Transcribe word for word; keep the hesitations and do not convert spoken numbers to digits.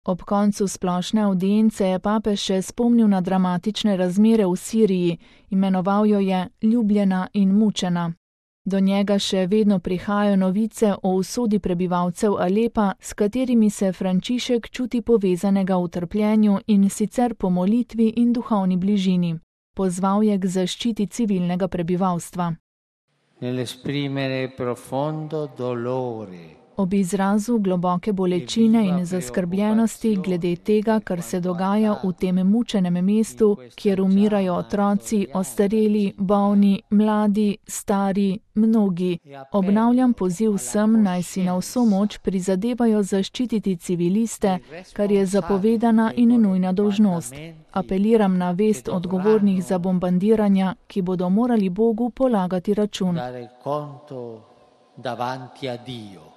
Ob koncu splošne avdience je papež še spomnil na dramatične razmere v Siriji, imenoval jo je ljubljena in mučena. Do njega še vedno prihajajo novice o usodi prebivalcev Alepa, s katerimi se Frančišek čuti povezanega v trpljenju in sicer po molitvi in duhovni bližini. Pozval je k zaščiti civilnega prebivalstva. Nell'esprimere profondo dolore. Ob izrazu globoke bolečine in zaskrbljenosti glede tega, kar se dogaja v tem mučenem mestu, kjer umirajo otroci, ostareli, bolni, mladi, stari, mnogi, obnavljam poziv vsem, naj si na vso moč prizadevajo zaščititi civiliste, kar je zapovedana in nujna dolžnost. Apeliram na vest odgovornih za bombardiranja, ki bodo morali Bogu polagati račun. Dare conto davanti a Dio.